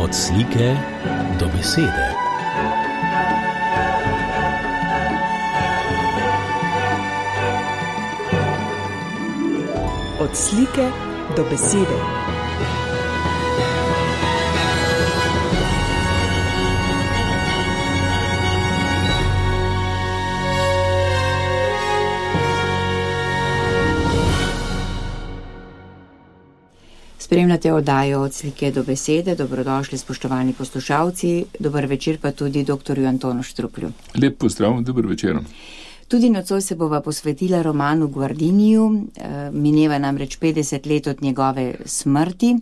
Od slike do besede. Od slike do besede. Spremljate oddajo Od slike do besede. Dobrodošli, spoštovani poslušalci. Dober večer pa tudi doktorju Antonu Štruklju. Lep pozdrav, dober večer. Tudi nocoj se bova posvetila romanu Guardiniju. Mineva namreč 50 let od njegove smrti.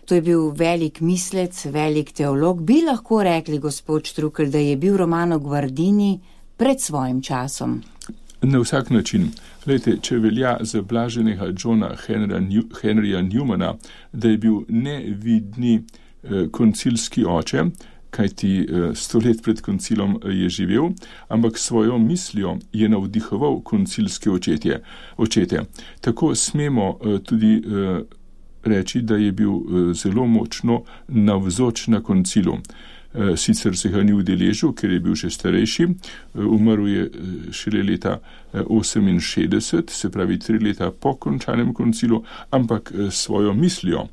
To je bil velik mislec, velik teolog. Bi lahko rekli, gospod Štrukelj, da je bil Romano Guardini pred svojim časom? Na vsak način. Glejte, če velja za blaženega Johna Henryja Newmana, da je bil nevidni koncilski oče, kajti 100 let pred koncilom je živel, ampak svojo mislijo je navdihoval koncilske očete. Tako smemo tudi reči, da je bil zelo močno navzoč na koncilu. Sicer se ga ni udeležil, ker je bil še starejši, umrl je šele leta 68, se pravi 3 leta po končanem koncilu, ampak svojo mislijo,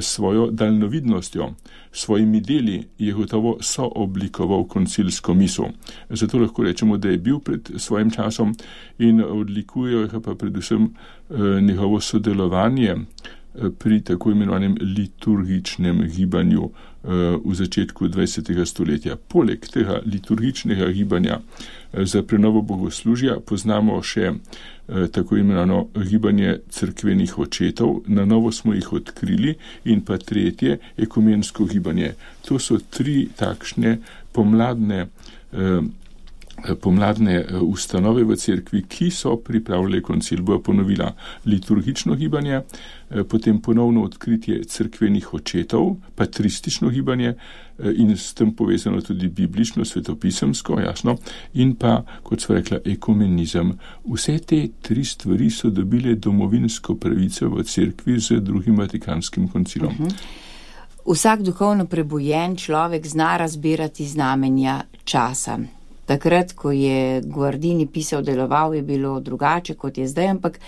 svojo daljnovidnostjo, svojimi deli je gotovo sooblikoval koncilsko misel. Zato lahko rečemo, da je bil pred svojim časom in odlikujejo ga pa predvsem njegovo sodelovanje pri tako imenovanem liturgičnem gibanju v začetku 20. stoletja. Poleg tega liturgičnega gibanja za prenovo bogoslužja poznamo še tako imenovano gibanje cerkvenih očetov, na novo smo jih odkrili, in pa tretje, ekumensko gibanje. To so 3 takšne pomladne ustanove v cerkvi, ki so pripravljali koncil. Bo ponovila liturgično gibanje, potem ponovno odkritje cerkvenih očetov, patristično gibanje in s tem povezano tudi biblično, svetopisemsko, jasno, in pa, kot sva rekla, ekumenizem. Vse te 3 stvari so dobile domovinsko pravico v cerkvi z drugim Vatikanskim koncilom. Vsak duhovno prebujen človek zna razbirati znamenja časa. Takrat, ko je Guardini pisal, deloval, je bilo drugače, kot je zdaj, ampak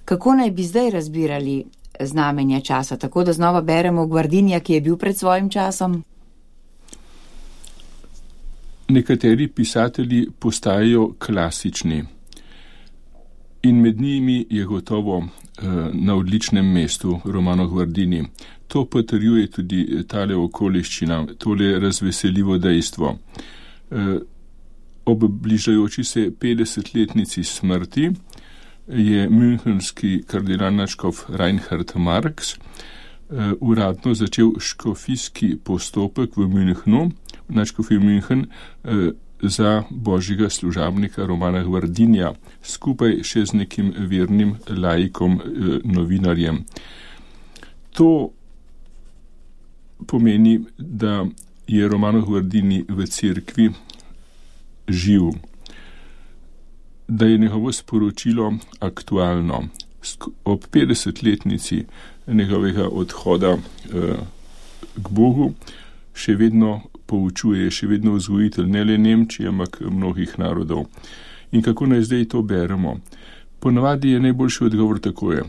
kako naj bi zdaj razbirali znamenja časa? Tako da znova beremo Guardinija, ki je bil pred svojim časom? Nekateri pisatelji postajajo klasični in med njimi je gotovo na odličnem mestu Romano Guardini. To potrjuje tudi tale okoliščina, tole razveseljivo dejstvo. Ob bližajoči se 50-letnici smrti je münchenski kardinalnačkov Reinhard Marx uradno začel škofijski postopek v Münchnu, načkofij München, za božjega služabnika Romana Guardinija, skupaj še z nekim vernim laikom, novinarjem. To pomeni, da je Romano Guardini v cerkvi živ, da je njegovo sporočilo aktualno. Ob 50-letnici njegovega odhoda k Bogu še vedno poučuje, še vedno vzgojitelj ne le Nemčije, ampak mnogih narodov. In kako naj zdaj to beremo? Ponavadi je najboljši odgovor takoj.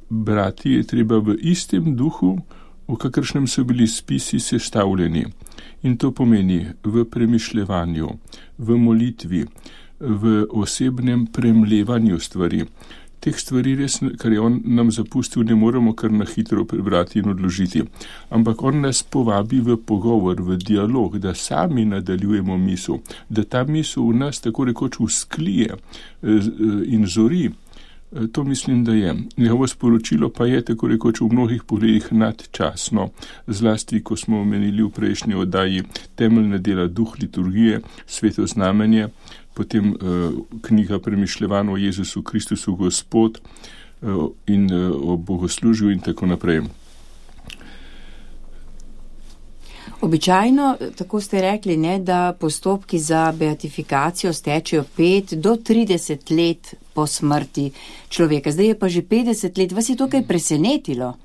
Brati je treba v istem duhu, v kakršnem so bili spisi sestavljeni. In to pomeni v premišljevanju, v molitvi, v osebnem premlevanju stvari. Teh stvari res, kar je on nam zapustil, ne moremo kar na hitro prebrati in odložiti. Ampak on nas povabi v pogovor, v dialog, da sami nadaljujemo misel, da ta misel v nas tako rekoč usklije in zori. To mislim, da je. Njegovo sporočilo pa je tako rekoč v mnogih pogledih nadčasno, zlasti, ko smo omenili v prejšnji oddaji temeljne dela Duh liturgije, Sveto znamenje, potem knjiga Premišljevanj o Jezusu Kristusu Gospod in o bogoslužju in tako naprej. Običajno, tako ste rekli, ne, da postopki za beatifikacijo stečejo 5 do 30 let po smrti človeka. Zdaj je pa že 50 let. Vas je to kaj presenetilo?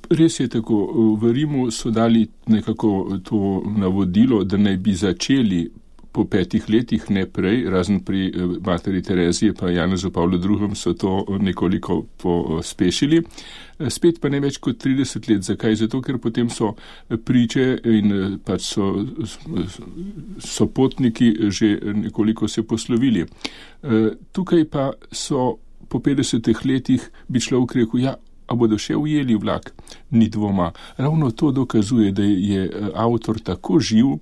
Res je tako, v Rimu so dali nekako to navodilo, da naj bi začeli po 5 letih, ne prej, razen pri materi Tereziji pa Janezu Pavlu II. So to nekoliko pospešili. Spet pa ne več kot 30 let. Zakaj? Zato, ker potem so priče in pač so potniki že nekoliko se poslovili. Tukaj pa so po 50 letih bi človek rekel, ja, a bodo še ujeli vlak? Ni dvoma. Ravno to dokazuje, da je avtor tako živ,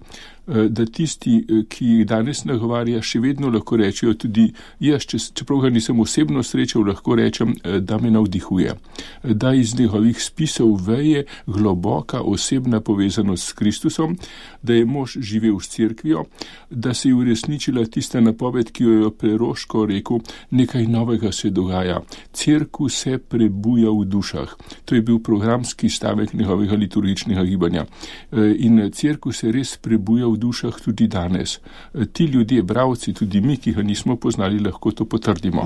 da tisti, ki jih danes nagovarja, še vedno lahko rečejo tudi jaz, čeprav ga nisem osebno srečal, lahko rečem, da me navdihuje. Da iz njegovih spisov veje globoka osebna povezanost s Kristusom, da je mož živel s cerkvijo, da se je uresničila tista napoved, ki jo je Preroško rekel, nekaj novega se dogaja. Cerkev se prebuja v dušah. To je bil programski stavek njegovega liturgičnega gibanja. In cerkev se res prebuja v dušah tudi danes. Ti ljudje, bravci, tudi mi, ki ga nismo poznali, lahko to potrdimo.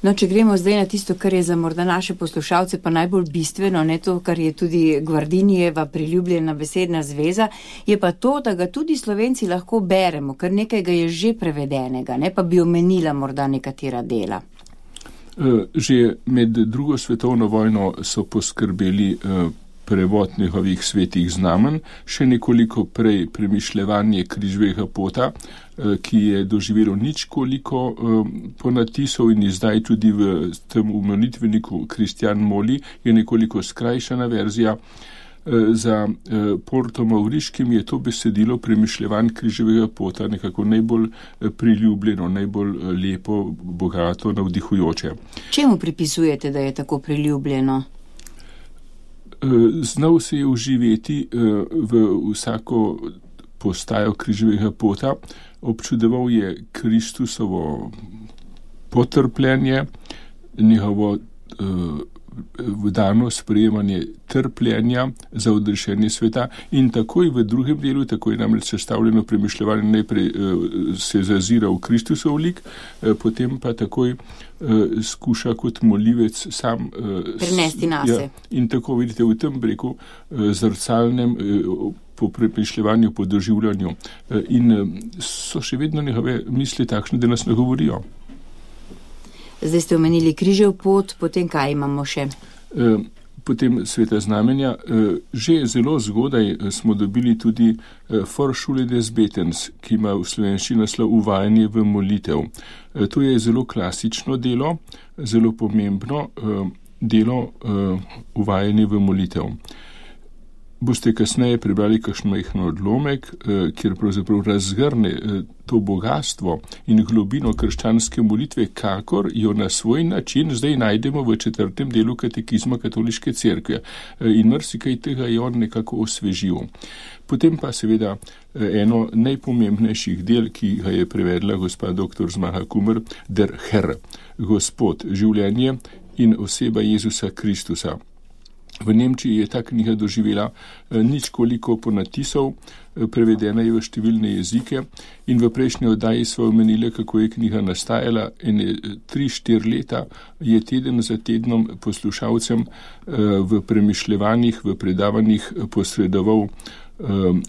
No, če gremo zdaj na tisto, kar je za morda naše poslušalce pa najbolj bistveno, ne to, kar je tudi Gvardinijeva priljubljena besedna zveza, je pa to, da ga tudi Slovenci lahko beremo, ker nekaj ga je že prevedenega, ne pa bi omenila morda nekatera dela. Že med drugo svetovno vojno so poskrbeli prevod njegovih svetih znamen, še nekoliko prej premišljevanje križevega pota, ki je doživelo ničkoliko ponatisov in zdaj tudi v tem molitevniku Kristjan Moli je nekoliko skrajšana verzija. Za Portom Mauriškim je to besedilo premišljevanj križevega pota nekako najbolj priljubljeno, najbolj lepo, bogato, navdihujoče. Čemu pripisujete, da je tako priljubljeno? Znal se je uživeti v vsako postajo križevega pota, občudoval je Kristusovo potrpljenje, njegovo dano sprejemanje trpljenja za odrešenje sveta in takoj v drugem delu, tako je namreč sestavljeno premišljevanje, najprej se zazira v Kristusov lik, potem pa takoj skuša kot molivec sam prenesti nase. Ja, in tako vidite v tem breku zrcalnem po premišljevanju, po doživljanju in so še vedno njegove misli takšne, da nas nagovorijo. Zdaj ste omenili križev pot, potem kaj imamo še? Potem sveta znamenja. Že zelo zgodaj smo dobili tudi Vorschule des Betens, ki ima v slovenščini naslov Uvajanje v molitev. To je zelo klasično delo, zelo pomembno delo Uvajanje v molitev. Boste kasneje prebrali kakšen majhen odlomek, kjer pravzaprav razgrne to bogatstvo in globino krščanske molitve, kakor jo na svoj način zdaj najdemo v 4. delu katekizma katoliške cerkve. In marsikaj tega je on nekako osvežil. Potem pa seveda eno najpomembnejših del, ki ga je prevedla gospa dr. Zmaga Kumer, Der Herr, Gospod, življenje in oseba Jezusa Kristusa. V Nemčiji je ta knjiga doživela ničkoliko ponatisov, prevedena je v številne jezike in v prejšnji oddaji sva omenila, kako je knjiga nastajala. 3-4 leta je teden za tednom poslušalcem v premišljevanjih, v predavanjih posredoval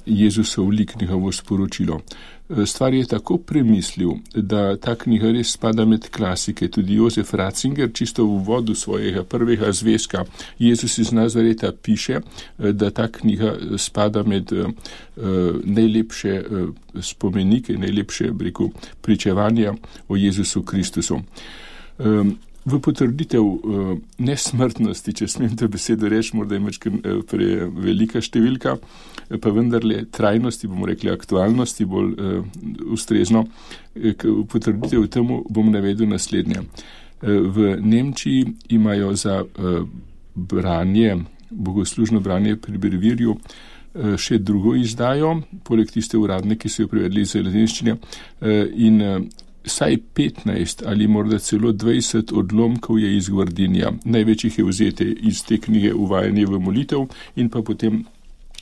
Jezusov lik, njegovo sporočilo. Stvar je tako premislil, da ta knjiga res spada med klasike. Tudi Jozef Ratzinger, čisto v uvodu svojega prvega zvezka Jezus iz Nazareta, piše, da ta knjiga spada med najlepše spomenike, najlepše pričevanja o Jezusu Kristusu. V potrditev nesmrtnosti, če smem to besedo reči, morda je prevelika številka, pa vendarle trajnosti, bomo rekli aktualnosti, bolj ustrezno, v potrditev temu bom navedel naslednje. V Nemčiji imajo za branje, bogoslužno branje pri brevirju, še drugo izdajo, poleg tiste uradne, ki so jo prevedli iz latinščine, in saj 15 ali morda celo 20 odlomkov je iz Gvardinija. Največjih je vzete iz te knjige Uvajanje v molitev in pa potem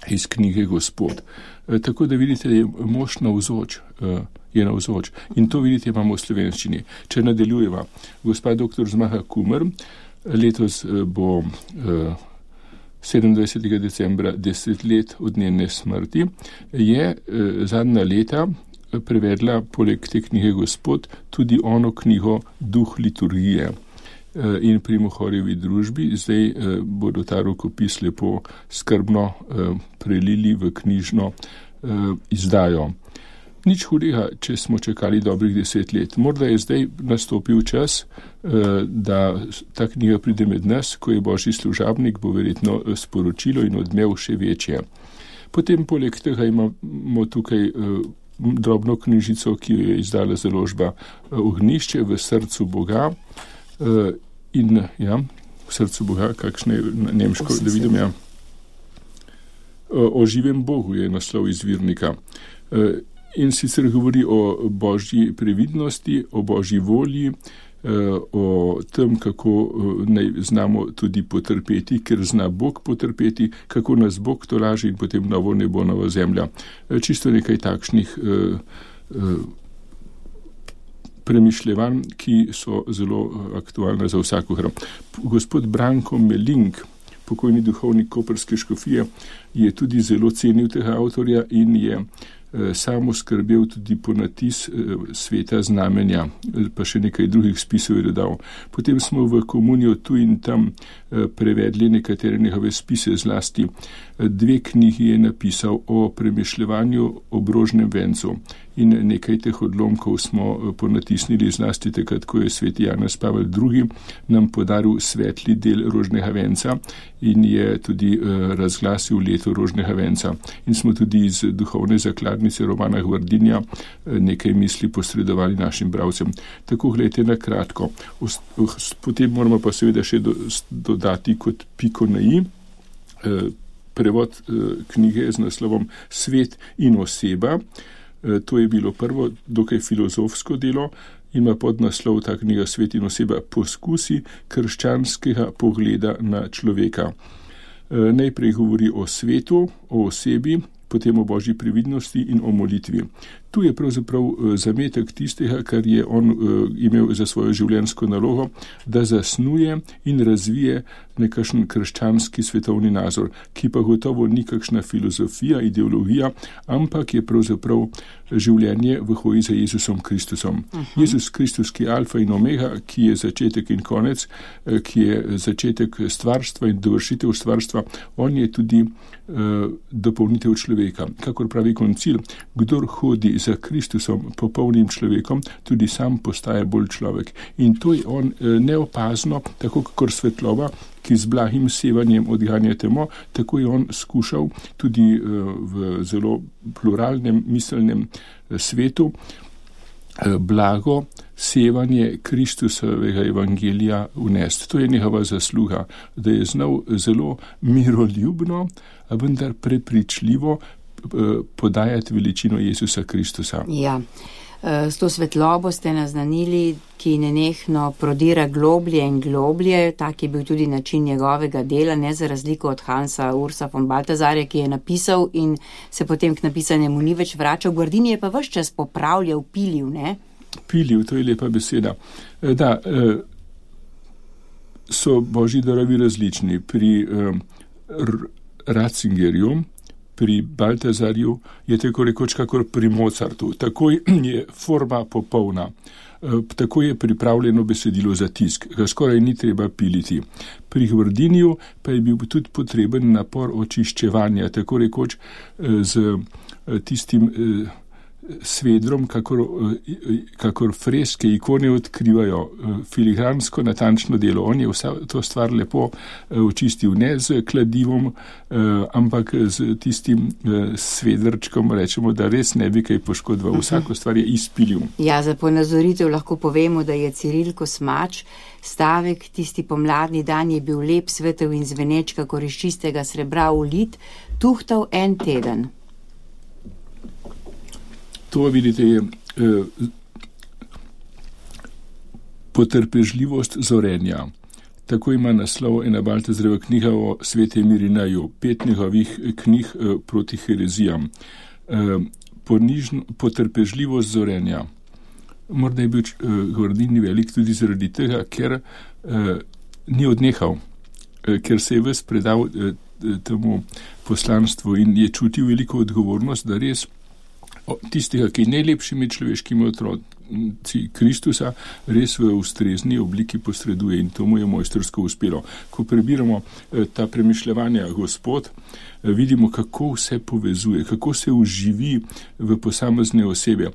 iz knjige Gospod. Tako da vidite, da je mož navzoč, in to vidite imamo v slovenščini. Če nadaljujeva, gospa dr. Zmaga Kumer, letos bo 27. decembra, 10 let od njene smrti, je zadnja leta prevedla poleg te knjige Gospod tudi ono knjigo Duh liturgije. In pri Mohorjevi družbi zdaj bodo ta rokopis lepo skrbno prelili v knjižno izdajo. Nič hudega, če smo čakali dobrih 10 let. Morda je zdaj nastopil čas, da ta knjiga pride med nas, ko je Božji služabnik, bo verjetno sporočilo in odmev še večje. Potem poleg tega imamo tukaj drobno knjižico, ki jo je izdala založba Ognjišče v srcu Boga. In ja, v srcu Boga, kakšne je nemško, da vidim, ja. O živem Bogu je naslov izvirnika. In sicer govori o Božji previdnosti, o Božji volji, o tem, kako naj znamo tudi potrpeti, ker zna Bog potrpeti, kako nas Bog tolaži in potem novo nebo, nova zemlja. Čisto nekaj takšnih premišljevanj, ki so zelo aktualne za vsakogar. Gospod Branko Melink, pokojni duhovnik koprske škofije, je tudi zelo cenil tega avtorja in je samo skrbel tudi po natis Sveta znamenja, pa še nekaj drugih spisov je dodal. Potem smo v komunijo tu in tam prevedli nekatere njegove spise, zlasti 2 knjigi je napisal o premišljevanju ob rožnem vencu in nekaj teh odlomkov smo ponatisnili, zlasti takrat, ko je sveti Janez Pavel II. Nam podaril svetli del rožnega venca in je tudi razglasil leto rožnega venca. In smo tudi iz duhovne zakladnice Romana Hvardinja nekaj misli posredovali našim bralcem. Tako gledajte na kratko. Potem moramo pa seveda še dodati kot piko na i prevod knjige z naslovom Svet in oseba. To je bilo prvo dokaj filozofsko delo, ima podnaslov ta knjiga Svet in oseba poskusi krščanskega pogleda na človeka. Najprej govori o svetu, o osebi, potem o Božji previdnosti in o molitvi. Tu je pravzaprav zametek tistega, kar je on imel za svojo življenjsko nalogo, da zasnuje in razvije nekakšen krščanski svetovni nazor, ki pa gotovo ni kakšna filozofija, ideologija, ampak je pravzaprav življenje v hoji za Jezusom Kristusom. Jezus Kristus, ki je alfa in omega, ki je začetek in konec, ki je začetek stvarstva in dovršitev stvarstva, on je tudi dopolnitev človeka. Kakor pravi koncil, kdor hodi za Kristusom, popolnim človekom, tudi sam postaje bolj človek. In to je on neopazno, tako kakor svetloba, ki z blagim sevanjem odganja temo, tako je on skušal tudi v zelo pluralnem miselnem svetu blago sevanje Kristusovega evangelija vnesti. To je njegova zasluga, da je znal zelo miroljubno, a vendar prepričljivo podajati veličino Jezusa Kristusa. Ja, s to svetlobo ste naznanili, ki nenehno prodira globlje in globlje, tak je bil tudi način njegovega dela, ne za razliko od Hansa Ursa von Balthasarja, ki je napisal in se potem k napisanemu ni več vračal. Guardini je pa ves čas popravljal, pilil, ne? Pilil, to je lepa beseda. Da, so Božji darovi različni. Pri Ratzingerju, pri Balthasarju je tako rekoč kakor pri Mozartu. Takoj je forma popolna. Tako je pripravljeno besedilo za tisk, ga skoraj ni treba piliti. Pri Guardiniju pa je bil tudi potreben napor očiščevanja, tako rekoč z tistim svedrom, kakor freske, ikone odkrivajo, filigransko, natančno delo. On je vsa to stvar lepo očistil, ne z kladivom, ampak z tistim svedrčkom, rečemo, da res ne bi kaj poškodoval. Vsako stvar je izpilil. Ja, za ponazoritev lahko povemo, da je Ciril Kosmač stavek, tisti pomladni dan je bil lep, svetel in zveneč, kakor iz čistega srebra ulit, tuhtal en teden. To, vidite, je potrpežljivost zorenja. Tako ima naslov ena Balthasarjeva knjiga o svetem Irinaju, 5 njegovih knjig proti herezijam. Potrpežljivost zorenja. Morda je bil Guardini velik tudi zaradi tega, ker ni odnehal, ker se je ves predal temu poslanstvu in je čutil veliko odgovornost, da res tistega, ki je najlepši med človeškimi otroci Kristusa, res v ustrezni obliki posreduje in to mu je mojstrsko uspelo. Ko prebiramo ta premišljevanja Gospod, vidimo, kako vse povezuje, kako se uživi v posamezne osebe.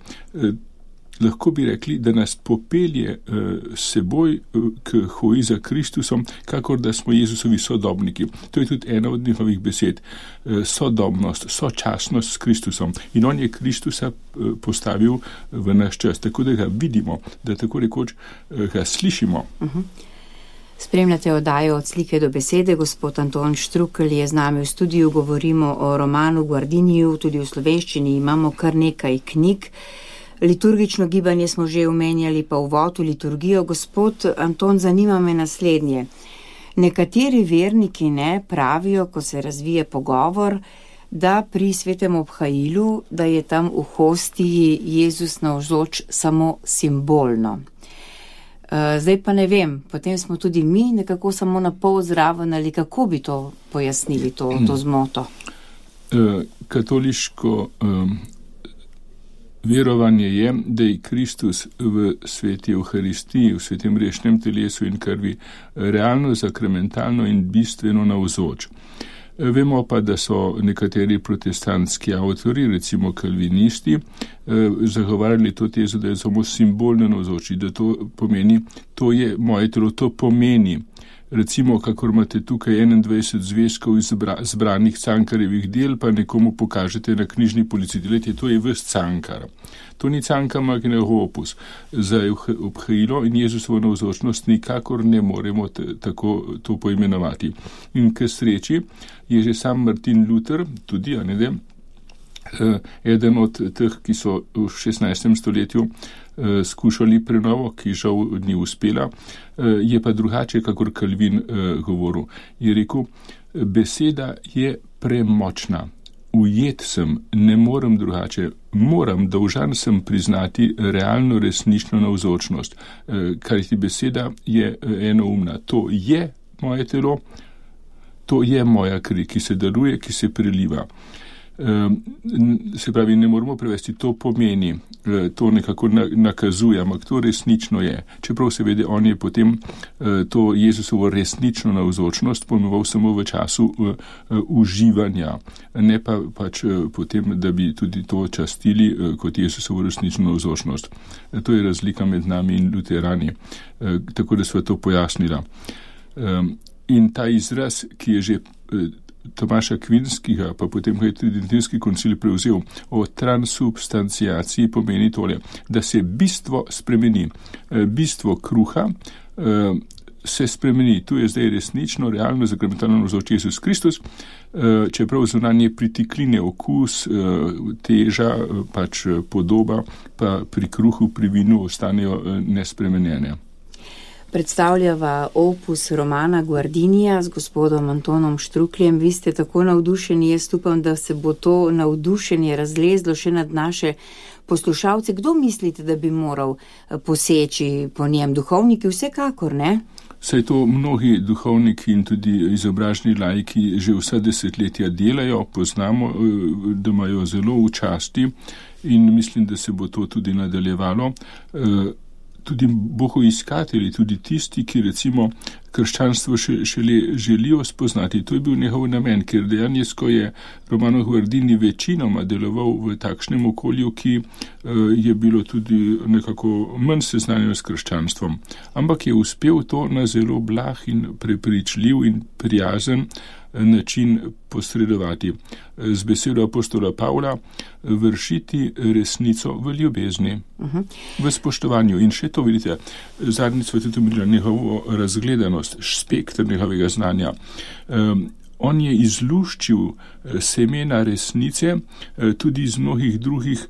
Lahko bi rekli, da nas popelje seboj k hoji za Kristusom, kakor da smo Jezusovi sodobniki. To je tudi ena od njihovih besed. Sodobnost, sočasnost s Kristusom. In on je Kristusa postavil v naš čas, tako da ga vidimo, da tako rekoč ga slišimo. Spremljate oddajo Od slike do besede. Gospod Anton Štrukelj je z nami v studiu. Govorimo o romanu Guardiniju, tudi v slovenščini imamo kar nekaj knjig. Liturgično gibanje smo že omenjali, pa uvod v liturgijo. Gospod Anton, zanima me naslednje. Nekateri verniki pravijo, ko se razvije pogovor, da pri svetem obhajilu, da je tam v hostiji Jezus navzoč samo simbolno. Zdaj pa ne vem, potem smo tudi mi nekako samo na pol zraven, ali kako bi to pojasnili, to zmoto? Katoliško verovanje je, da je Kristus v sveti Evharistiji, v svetem grešnem telesu in krvi realno, sakramentalno in bistveno navzoč. Vemo pa, da so nekateri protestantski avtori, recimo kalvinisti, zagovarjali to tezo, da je samo simbolno navzoči, da to pomeni, to je moje telo, to pomeni. Recimo, kakor imate tukaj 21 zvezkov zbranih Cankarjevih del, pa nekomu pokažete na knjižni polici. Delajte, to je ves Cankar. To ni Cankar magnum opus. Za obhajilo in Jezusovo navzočnost nikakor ne moremo tako to poimenovati. In k sreči je že sam Martin Luther, tudi, eden od teh, ki so v 16. stoletju skušali prenovo, ki žal ni uspela, je pa drugače, kakor Calvin govoril. Je rekel, beseda je premočna, ujet sem, ne morem drugače, dolžan sem priznati realno resnično navzočnost, kar ti beseda je enoumna. To je moje telo, to je moja kri, ki se daruje, ki se preliva. Se pravi, ne moramo prevesti, to pomeni, to nekako nakazuje, ampak to resnično je. Čeprav seveda on je potem to Jezusovo resnično navzočnost pojmoval samo v času uživanja, ne pa pač potem, da bi tudi to častili kot Jezusovo resnično navzočnost. To je razlika med nami in luterani, tako da sva to pojasnila. In ta izraz, ki je že Tomaša Kvinskega, pa potem ga je Tridentinski koncil prevzel, o transubstanciaciji pomeni tole, da se bistvo spremeni. Bistvo kruha se spremeni. Tu je zdaj resnično, realno, sakramentalno navzoč Jezus Kristus, čeprav zunanje pritikline, okus, teža, pač podoba, pa pri kruhu, pri vinu ostanejo nespremenjene. Predstavljava opus romana Guardinija z gospodom Antonom Štrukljem. Vi ste tako navdušeni, jaz upam, da se bo to navdušenje razlezlo še nad naše poslušalce. Kdo mislite, da bi moral poseči po njem? Duhovniki vsekakor, ne? Saj to mnogi duhovniki in tudi izobraženi laiki že vsa desetletja delajo, poznamo, da imajo zelo v časti in mislim, da se bo to tudi nadaljevalo. Tudi bogoiskatelji, tudi tisti, ki recimo krščanstvo šele želijo spoznati. To je bil njegov namen, ker dejansko je Romano Guardini večinoma deloval v takšnem okolju, ki je bilo tudi nekako manj seznanjeno s krščanstvom. Ampak je uspel to na zelo blag in prepričljiv in prijazen način posredovati. Z besedo apostola Pavla vršiti resnico v ljubezni, v spoštovanju. In še to vidite, zadnjič sva tudi omenila njegovo razgledanost, spektr njegovega znanja. On je izluščil semena resnice tudi iz mnogih drugih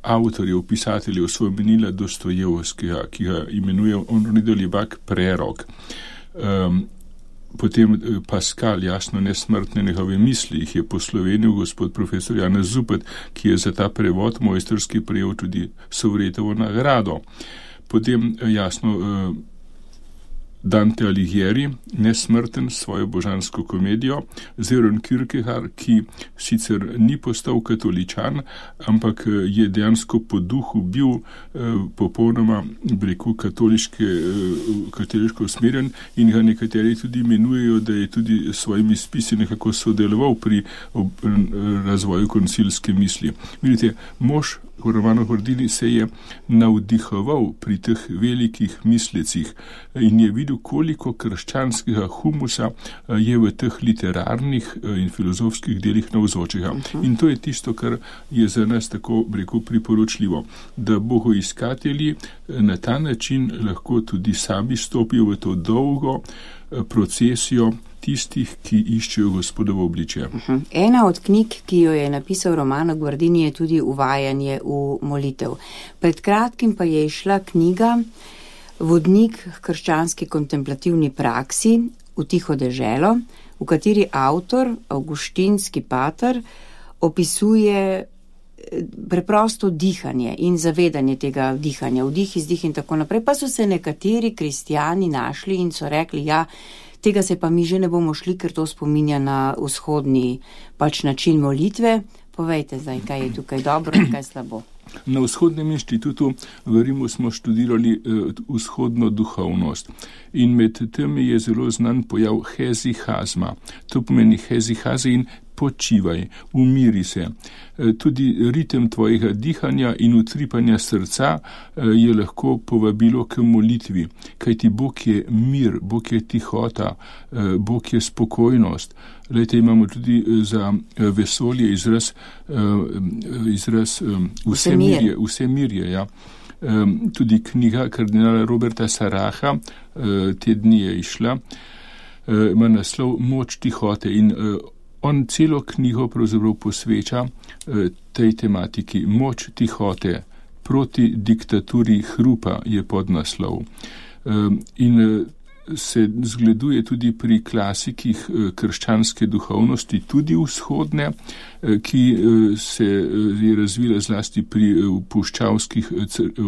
avtorjev, pisateljev, svojemenila Dostojevskega, ki ga imenuje Onridolibak prerok. Potem Pascal, jasno nesmrtne njegove misli, jih je poslovenil gospod profesor Janez Zupet, ki je za ta prevod mojstrski prejel tudi Sovretovo nagrado. Potem jasno Dante Alighieri, Nesmrten, svojo božansko komedijo, Søren Kierkegaard, ki sicer ni postal katoličan, ampak je dejansko po duhu bil popolnoma, rekel, katoliško usmerjen in ga nekateri tudi imenujejo, da je tudi s svojimi spisi nekako sodeloval pri razvoju koncilske misli. Vidite, mož Romano Guardini se je navdihoval pri teh velikih mislecih in je videl, koliko krščanskega humusa je v teh literarnih in filozofskih delih navzočega. In to je tisto, kar je za nas tako, rekel, priporočljivo, da bogoiskatelji na ta način lahko tudi sami stopijo v to dolgo procesijo tistih, ki iščejo Gospodovo obličje. Ena od knjig, ki jo je napisal Romano Guardini, je tudi Uvajanje v molitev. Pred kratkim pa je išla knjiga Vodnik k krščanski kontemplativni praksi v tiho deželo, v kateri avtor, avguštinski pater, opisuje preprosto dihanje in zavedanje tega dihanja, vdih, izdih in tako naprej. Pa so se nekateri kristijani našli in so rekli, ja, tega se pa mi že ne bomo šli, ker to spominja na vzhodni način molitve. Povejte zdaj, kaj je tukaj dobro in kaj slabo. Na Vzhodnem inštitutu v Rimu smo študirali vzhodno duhovnost in med temi je zelo znan pojav hezihazma. To pomeni hezihaze in počivaj, umiri se. Tudi ritem tvojega dihanja in utripanja srca je lahko povabilo k molitvi, kajti Bog je mir, Bog je tihota, Bog je spokojnost. Lejte, imamo tudi za vesolje izraz vsemirje, ja. Tudi knjiga kardinala Roberta Saraha, te dni je išla, ima naslov Moč tihote in on celo knjigo pravzaprav posveča tej tematiki. Moč tihote proti diktaturi hrupa je podnaslov. In se zgleduje tudi pri klasikih krščanske duhovnosti, tudi vzhodne, ki se je razvila zlasti pri puščavskih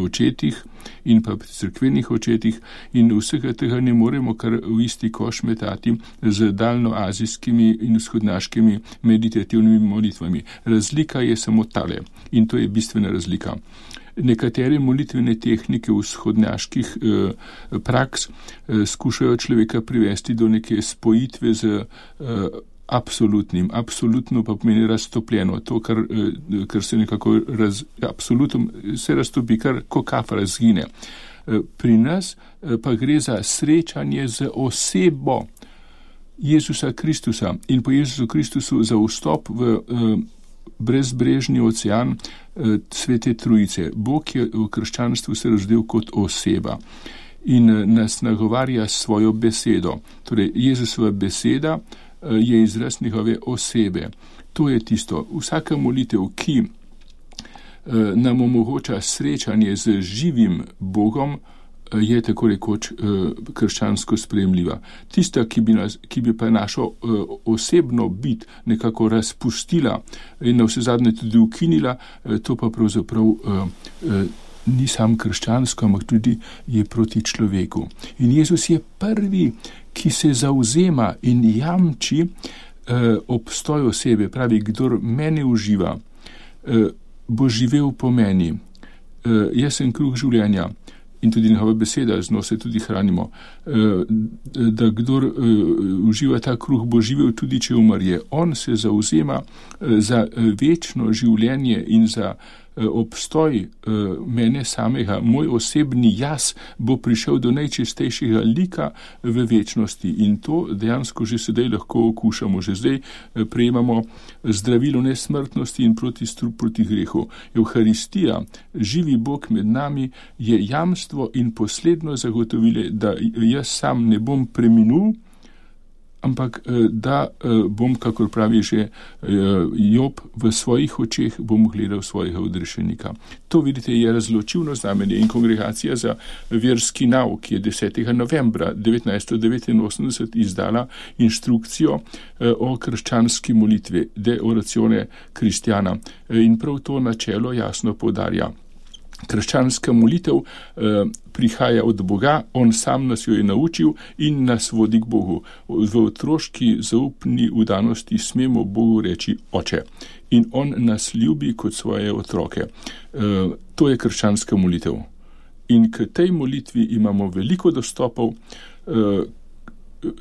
očetih in pa pri cerkvenih očetih in vsega tega ne moremo kar v isti koš metati z daljnoazijskimi in vzhodnaškimi meditativnimi molitvami. Razlika je samo tale in to je bistvena razlika. Nekatere molitvene tehnike vzhodnjaških praks skušajo človeka privesti do neke spojitve z absolutnim. Absolutno pa pomeni raztopljeno. To, kar se nekako absolutno se raztopi, kar ko kafa razgine. Pri nas pa gre za srečanje z osebo Jezusa Kristusa in po Jezusu Kristusu za vstop v brezbrežni ocean Svete Trojice. Bog je v krščanstvu se razdel kot oseba in nas nagovarja svojo besedo. Torej, Jezusova beseda je izraz njegove osebe. To je tisto. Vsaka molitev, ki nam omogoča srečanje z živim Bogom, je tako rekoč krščansko sprejemljiva. Tista, ki bi pa našo osebno bit nekako razpustila in na vse zadnje tudi ukinila, to pa pravzaprav ni sam krščansko, ampak tudi je proti človeku. In Jezus je prvi, ki se zavzema in jamči obstoj osebe, pravi, kdor mene uživa, bo živel po meni. Jaz sem kruh življenja. In tudi njegova beseda, z njo se tudi hranimo, da kdor uživa ta kruh, bo živel tudi, če umrje. On se zavzema za večno življenje in za obstoj mene samega. Moj osebni jaz bo prišel do najčistejšega lika v večnosti in to dejansko že sedaj lahko okušamo. Že zdaj prejemamo zdravilo nesmrtnosti in proti grehu. Evharistija, živi Bog med nami, je jamstvo in posledno zagotovile, da jaz sam ne bom preminul, ampak da bom, kakor pravi že Job, v svojih očeh bom gledal svojega odrešenika. To, vidite, je razločilno znamenje in Kongregacija za verski nauk je 10. novembra 1989 izdala inštrukcijo o krščanski molitvi, De oratione Christiana. In prav to načelo jasno poudarja. Krščanska molitev prihaja od Boga, on sam nas jo je naučil in nas vodi k Bogu. V otroški zaupni vdanosti smemo Bogu reči Oče. In on nas ljubi kot svoje otroke. To je krščanska molitev. In k tej molitvi imamo veliko dostopov,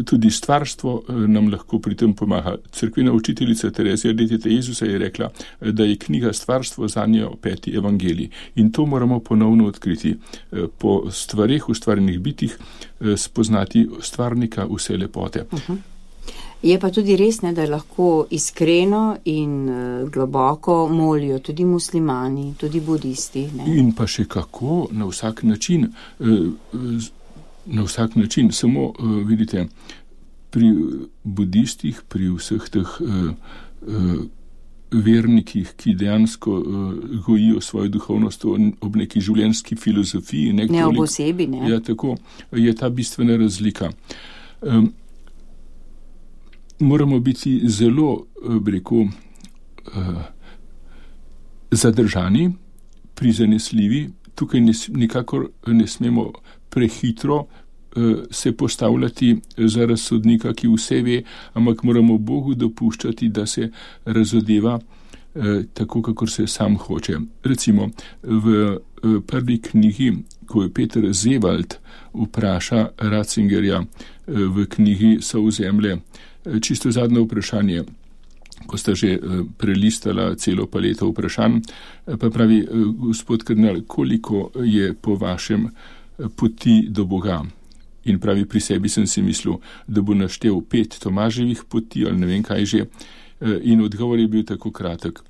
tudi stvarstvo nam lahko pri tem pomaga. Cerkvena učiteljica Terezija Deteta Jezusa je rekla, da je knjiga Stvarstvo zanjo 5. evangelij. In to moramo ponovno odkriti. Po stvareh, ustvarjenih bitih, spoznati stvarnika vse lepote. Je pa tudi res, da lahko iskreno in globoko molijo tudi muslimani, tudi budisti. Ne? In pa še kako, na vsak način. Na vsak način, samo vidite, pri budistih, pri vseh teh vernikih, ki dejansko gojijo svojo duhovnost ob neki življenjski filozofiji. Ne ob osebi, ne? Ja, tako je ta bistvena razlika. Moramo biti zelo, zadržani, prizanesljivi. Tukaj nikakor ne smemo prehitro se postavljati za razsodnika, ki vse ve, ampak moramo Bogu dopuščati, da se razodeva tako, kakor se sam hoče. Recimo, v prvi knjigi, ko je Peter Zevald vpraša Ratzingerja v knjigi Sovzemlje, čisto zadnje vprašanje, ko sta že prelistala celo paleto vprašanj, pa pravi, gospod kardinal, koliko je po vašem poti do Boga? In pravi, pri sebi sem si mislil, da bo naštel 5 Tomaževih poti ali ne vem kaj že. In odgovor je bil tako kratek.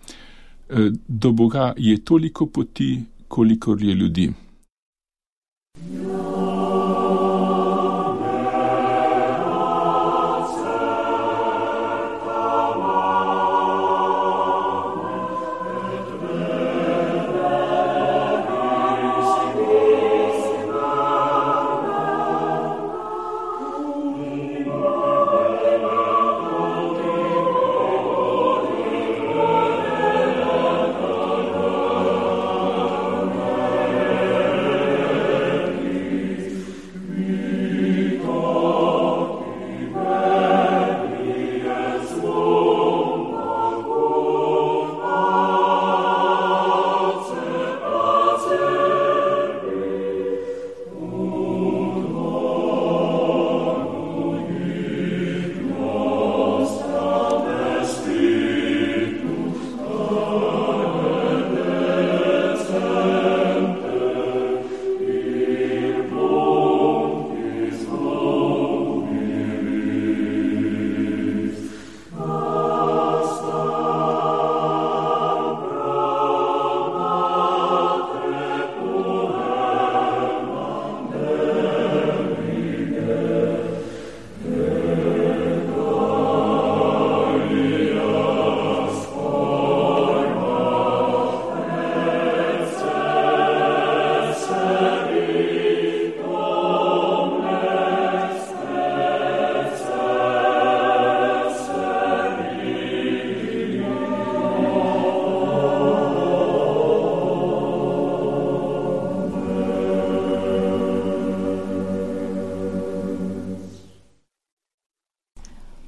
Do Boga je toliko poti, kolikor je ljudi.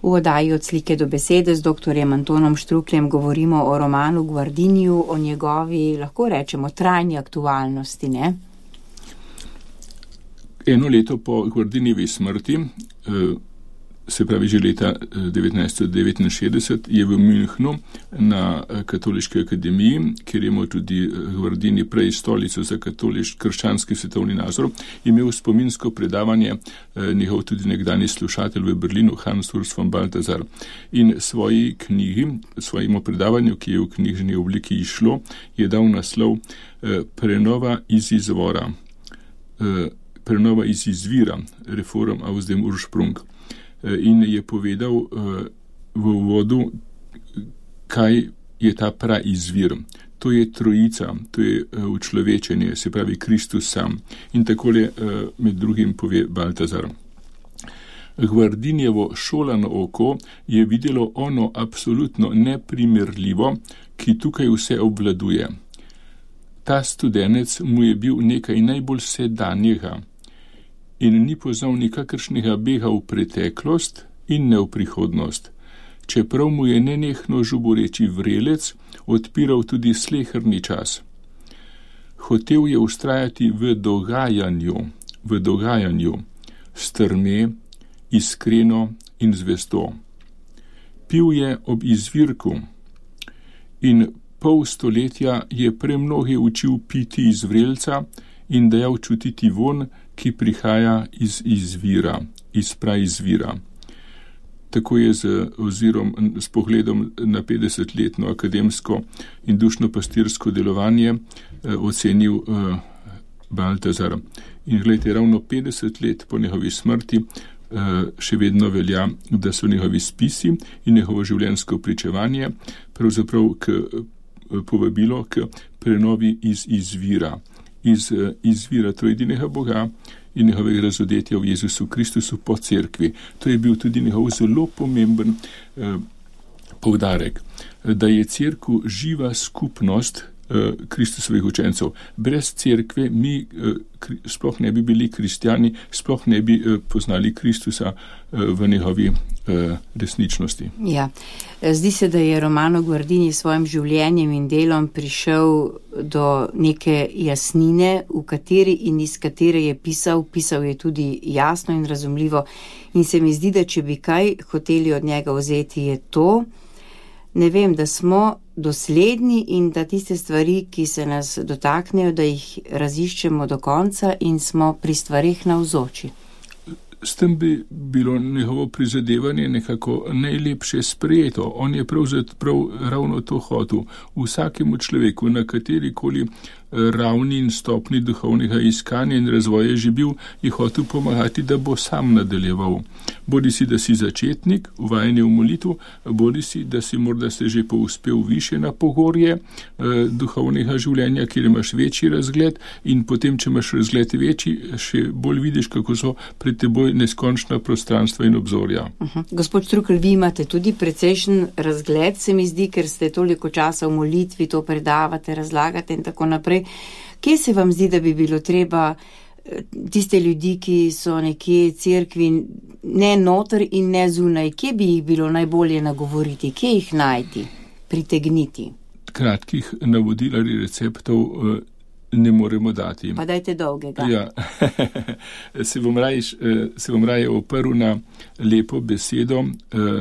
V oddaji Od slike do besede z doktorjem Antonom Štrukljem govorimo o romanu Guardiniju, o njegovi, lahko rečemo, trajni aktualnosti, ne? Eno leto po Guardinijevi smrti, se pravi že leta 1969, je v Münchnu na Katoliški akademiji, kjer je imel tudi Guardini prej stolico za krščanski svetovni nazor, imel spominsko predavanje njegov tudi nekdani slušatelj v Berlinu, Hans Urs von Balthasar. In svoji knjigi, svojemu predavanju, ki je v knjižni obliki išlo, je dal naslov Prenova iz izvora, prenova iz izvira, Reform aus dem Ursprung. In je povedal v uvodu, kaj je ta praizvir. To je trojica, to je učlovečenje, se pravi Kristus sam. In takole med drugim pove Balthasar. Guardinijevo šolano oko je videlo ono absolutno neprimerljivo, ki tukaj vse obvladuje. Ta studenec mu je bil nekaj najbolj sedanjega in ni poznal nikakršnega bega v preteklost in ne v prihodnost, čeprav mu je nenehno žuboreči vrelec odpiral tudi sleherni čas. Hotel je vztrajati v dogajanju, strme, iskreno in zvesto. Pil je ob izvirku in pol stoletja je premnoge učil piti iz vrelca in dajal čutiti von, ki prihaja iz izvira, iz praizvira. Tako je s pogledom na 50-letno akademsko in dušno-pastirsko delovanje ocenil Baltazar. In gledajte, ravno 50 let po njegovi smrti še vedno velja, da so njegovi spisi in njegovo življenjsko pričevanje pravzaprav povabilo k prenovi iz izvira. Iz izvira trojedinega Boga in njegovega razodetja v Jezusu Kristusu po cerkvi. To je bil tudi njegov zelo pomemben poudarek, da je cerkev živa skupnost Kristusovih učencev. Brez cerkve mi sploh ne bi bili kristjani, sploh ne bi poznali Kristusa v njegovi resničnosti. Ja. Zdi se, da je Romano Guardini s svojim življenjem in delom prišel do neke jasnine, v kateri in iz katere je pisal je tudi jasno in razumljivo. In se mi zdi, da če bi kaj hoteli od njega vzeti, je to, ne vem, da smo dosledni in da tiste stvari, ki se nas dotaknejo, da jih raziščemo do konca in smo pri stvareh navzoči. S tem bi bilo njegovo prizadevanje nekako najlepše sprejeto. On je pravzaprav ravno to hotel. Vsakemu človeku, na katerikoli ravni in stopni duhovnega iskanja in razvoja že bil, je hotel pomagati, da bo sam nadaljeval. Bodi si, da si začetnik, uvajanje v molitvu, bodi si, da si morda se že povzpel više na pogorje duhovnega življenja, kjer imaš večji razgled in potem, če imaš razgled večji, še bolj vidiš, kako so pred teboj neskončna prostranstva in obzorja. Gospod Štrukelj, vi imate tudi precejšen razgled, se mi zdi, ker ste toliko časa v molitvi, to predavate, razlagate in tako naprej. Kje se vam zdi, da bi bilo treba tiste ljudi, ki so nekje cerkvi, ne noter in ne zunaj, kje bi jih bilo najbolje nagovoriti, kje jih najti, pritegniti? Kratkih navodil ali receptov ne moremo dati. Pa dajte dolgega. Ja. se bom raje oprl na lepo besedo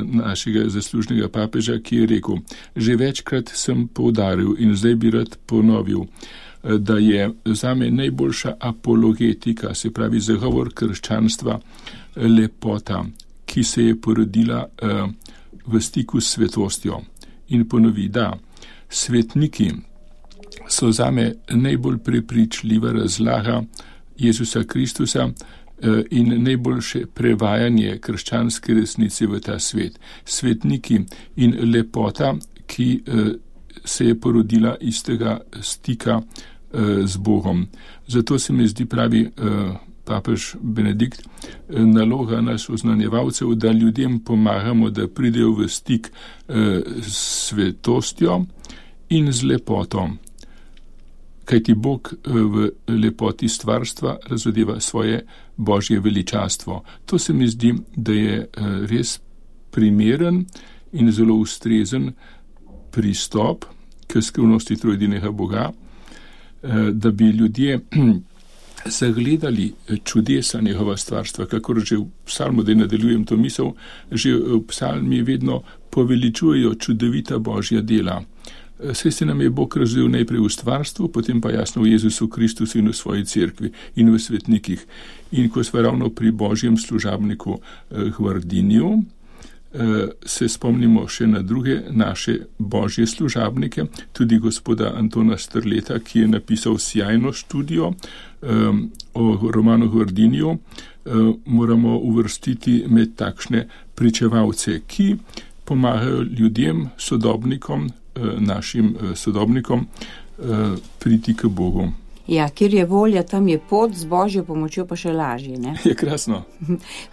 našega zaslužnega papeža, ki je rekel: že večkrat sem poudaril in zdaj bi rad ponovil, da je zame najboljša apologetika, se pravi zagovor krščanstva, lepota, ki se je porodila v stiku s svetostjo. In ponovi, da svetniki so zame najbolj prepričljiva razlaga Jezusa Kristusa in najboljše prevajanje krščanske resnice v ta svet. Svetniki in lepota, ki se je porodila iz tega stika z Bogom. Zato se mi zdi, pravi papež Benedikt, naloga nas oznanjevalcev, da ljudem pomagamo, da pridejo v stik s svetostjo in z lepoto. Kajti Bog v lepoti stvarstva razodeva svoje božje veličastvo. To se mi zdi, da je res primeren in zelo ustrezen pristop k skrivnosti trojedinega Boga, da bi ljudje zagledali čudesa njegova stvarstva, kakor že v psalmu, da nadaljujem to misel, že v psalmi vedno poveličujejo čudovita božja dela. Saj se nam je Bog razvil najprej v stvarstvu, potem pa jasno v Jezusu Kristusu in v svoji cerkvi in v svetnikih. In ko smo ravno pri božjem služabniku Guardiniju, se spomnimo še na druge naše božje služabnike, tudi gospoda Antona Strleta, ki je napisal sjajno študijo o Romanu Guardiniju, moramo uvrstiti med takšne pričevalce, ki pomagajo ljudem, sodobnikom, našim sodobnikom, priti k Bogu. Ja, kjer je volja, tam je pot, z božjo pomočjo pa še lažje, ne? Je krasno.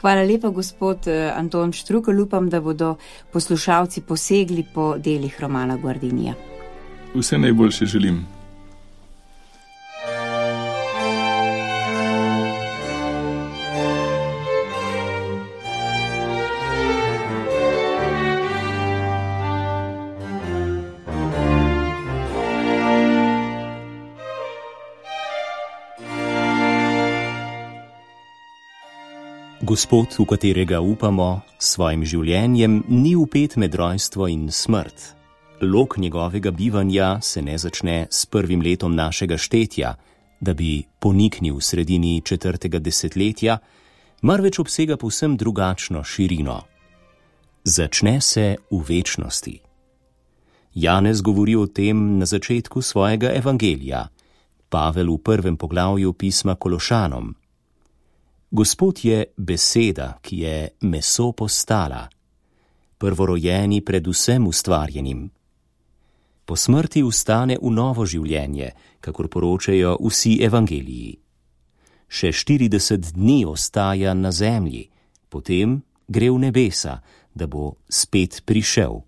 Hvala lepa, gospod Anton Štrukelj, upam, da bodo poslušalci posegli po delih Romana Guardinija. Vse najboljše želim. Gospod, v katerega upamo, s svojim življenjem ni vpet med rojstvo in smrt. Lok njegovega bivanja se ne začne s prvim letom našega štetja, da bi poniknil v sredini 4. desetletja, marveč obsega povsem drugačno širino. Začne se v večnosti. Janez govori o tem na začetku svojega evangelija, Pavel v 1. poglavju pisma Kološanom. Gospod je beseda, ki je meso postala, prvorojeni pred vsem ustvarjenim. Po smrti vstane v novo življenje, kakor poročajo vsi evangeliji. Še 40 dni ostaja na zemlji, potem gre v nebesa, da bo spet prišel.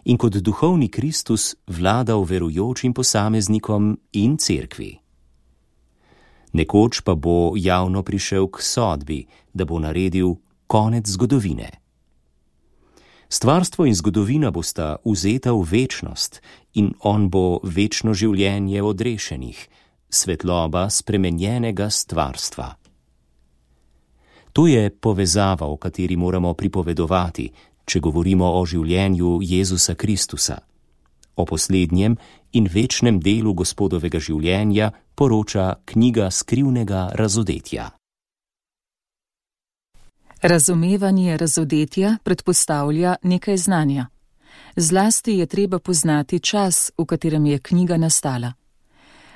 In kot duhovni Kristus vladal verujočim posameznikom in cerkvi. Nekoč pa bo javno prišel k sodbi, da bo naredil konec zgodovine. Stvarstvo in zgodovina bosta vzeta v večnost in on bo večno življenje odrešenih, svetloba spremenjenega stvarstva. To je povezava, o kateri moramo pripovedovati, če govorimo o življenju Jezusa Kristusa. O poslednjem in večnem delu Gospodovega življenja poroča knjiga Skrivnega razodetja. Razumevanje razodetja predpostavlja nekaj znanja. Zlasti je treba poznati čas, v katerem je knjiga nastala.